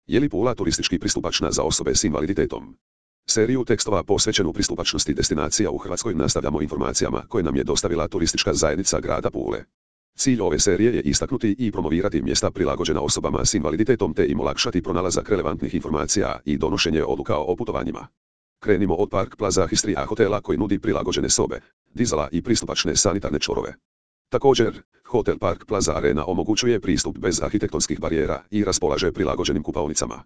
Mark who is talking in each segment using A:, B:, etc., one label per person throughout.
A: Je li Pula turistički pristupačna za osobe s invaliditetom? Seriju tekstova posvećenu pristupačnosti destinacija u Hrvatskoj nastavljamo informacijama koje nam je dostavila turistička zajednica grada Pule. Cilj ove serije je istaknuti i promovirati mjesta prilagođena osobama s invaliditetom te im olakšati pronalazak relevantnih informacija i donošenje odluka o putovanjima. Krenimo od Park Plaza Histria hotela koji nudi prilagođene sobe, dizala i pristupačne sanitarne čvorove. Također, Hotel Park Plaza Arena omogućuje pristup bez arhitektonskih barijera i raspolaže prilagođenim kupaonicama.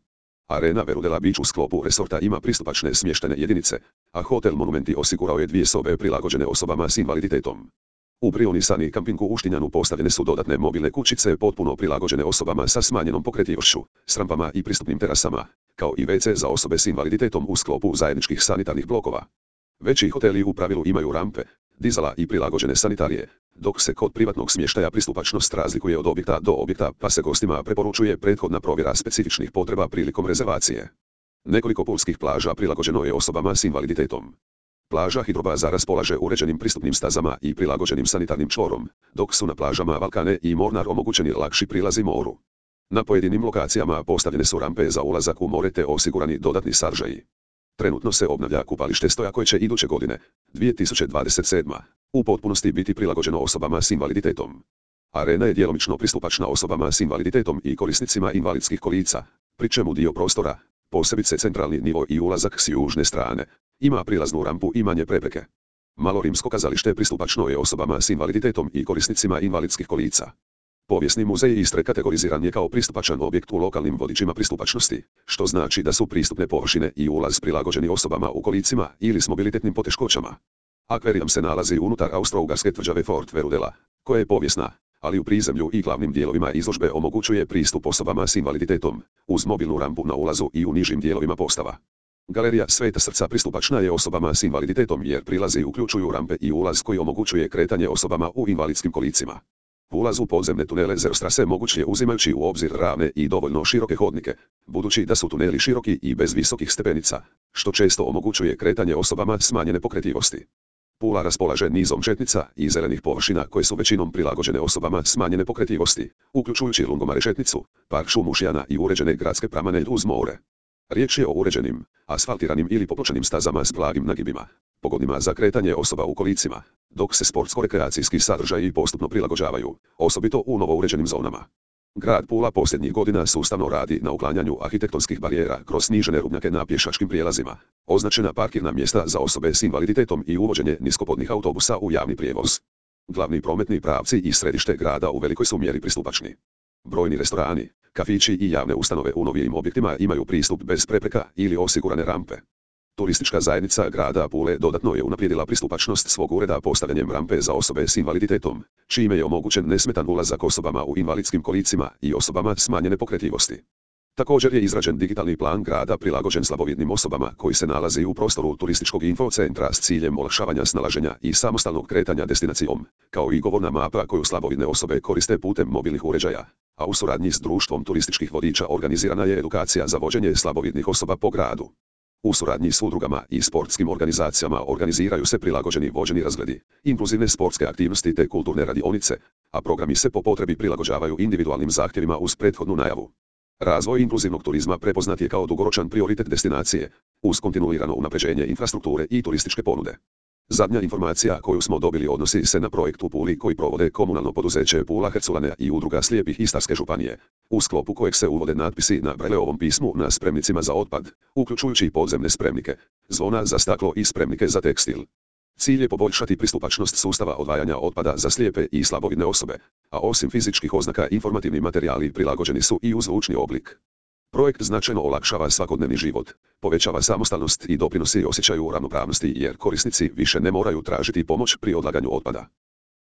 A: Arena Verudela Beach u sklopu resorta ima pristupačne smještajne jedinice, a Hotel Monumenti osigurao je 2 sobe prilagođene osobama s invaliditetom. U Brionisani kampingu u Štinjanu postavljene su dodatne mobilne kućice potpuno prilagođene osobama sa smanjenom pokretljivošću, s rampama i pristupnim terasama, kao i WC za osobe s invaliditetom u sklopu zajedničkih sanitarnih blokova. Veći hoteli u pravilu imaju rampe, dizala i prilagođene sanitarije, dok se kod privatnog smještaja pristupačnost razlikuje od objekta do objekta pa se gostima preporučuje prethodna provjera specifičnih potreba prilikom rezervacije. Nekoliko pulskih plaža prilagođeno je osobama s invaliditetom. Plaža Hidrobaza raspolaže uređenim pristupnim stazama i prilagođenim sanitarnim čvorom, dok su na plažama Valkane i Mornar omogućeni lakši prilazi moru. Na pojedinim lokacijama postavljene su rampe za ulazak u more te osigurani dodatni sadržaji. Trenutno se obnavlja kupalište Stoja koje će iduće godine, 2027. u potpunosti biti prilagođeno osobama s invaliditetom. Arena je djelomično pristupačna osobama s invaliditetom i korisnicima invalidskih kolica, pri čemu dio prostora, posebice centralni nivo i ulazak s južne strane, ima prilaznu rampu i manje prepreke. Malo rimsko kazalište pristupačno je osobama s invaliditetom i korisnicima invalidskih kolica. Povijesni muzej Istre kategoriziran je kao pristupačan objekt u lokalnim vodičima pristupačnosti, što znači da su pristupne površine i ulaz prilagođeni osobama u kolicima ili s mobilitetnim poteškoćama. Akvarijum se nalazi unutar austro-ugarske tvrđave Fort Verudela, koja je povijesna, ali u prizemlju i glavnim dijelovima izložbe omogućuje pristup osobama s invaliditetom, uz mobilnu rampu na ulazu i u nižim dijelovima postava. Galerija Sveta Srca pristupačna je osobama s invaliditetom jer prilazi uključuju rampe i ulaz koji omogućuje kretanje osobama u invalidskim kolicima. Ulaz u podzemne tunele Zerostrase moguć je uzimajući u obzir ravne i dovoljno široke hodnike, budući da su tuneli široki i bez visokih stepenica, što često omogućuje kretanje osobama smanjene pokretljivosti. Pula raspolaže nizom šetnica i zelenih površina koje su većinom prilagođene osobama smanjene pokretljivosti, uključujući lungomare šetnicu, park šumu Šijana i uređene gradske pramane uz more. Riječ je o uređenim, asfaltiranim ili popločanim stazama s blagim nagibima, pogodnima za kretanje osoba u kolicima, dok se sportsko-rekreacijski sadržaji postupno prilagođavaju, osobito u novouređenim zonama. Grad Pula posljednjih godina sustavno radi na uklanjanju arhitektonskih barijera kroz snižene rubnjake na pješačkim prijelazima, označena parkirna mjesta za osobe s invaliditetom i uvođenje niskopodnih autobusa u javni prijevoz. Glavni prometni pravci i središte grada u velikoj su mjeri pristupačni. Brojni restorani, kafići i javne ustanove u novijim objektima imaju pristup bez prepreka ili osigurane rampe. Turistička zajednica grada Pule dodatno je unaprijedila pristupačnost svog ureda postavljanjem rampe za osobe s invaliditetom, čime je omogućen nesmetan ulazak osobama u invalidskim kolicima i osobama smanjene pokretljivosti. Također je izrađen digitalni plan grada prilagođen slabovidnim osobama koji se nalazi u prostoru turističkog infocentra s ciljem olakšavanja snalaženja i samostalnog kretanja destinacijom, kao i govorna mapa koju slabovidne osobe koriste putem mobilnih uređaja, a u suradnji s društvom turističkih vodiča organizirana je edukacija za vođenje slabovidnih osoba po gradu. U suradnji s udrugama i sportskim organizacijama organiziraju se prilagođeni vođeni razgledi, inkluzivne sportske aktivnosti te kulturne radionice, a programi se po potrebi prilagođavaju individualnim zahtjevima uz prethodnu najavu. Razvoj inkluzivnog turizma prepoznat je kao dugoročan prioritet destinacije, uz kontinuirano unapređenje infrastrukture i turističke ponude. Zadnja informacija koju smo dobili odnosi se na projekt u Puli koji provode komunalno poduzeće Pula Herculane i udruga slijepih Istarske županije, u sklopu kojeg se uvode natpisi na Brajleovom pismu na spremnicima za otpad, uključujući podzemne spremnike, zvona za staklo i spremnike za tekstil. Cilj je poboljšati pristupačnost sustava odvajanja otpada za slijepe i slabovidne osobe, a osim fizičkih oznaka informativni materijali prilagođeni su i u zvučni oblik. Projekt značajno olakšava svakodnevni život, povećava samostalnost i doprinosi osjećaju ravnopravnosti jer korisnici više ne moraju tražiti pomoć pri odlaganju otpada.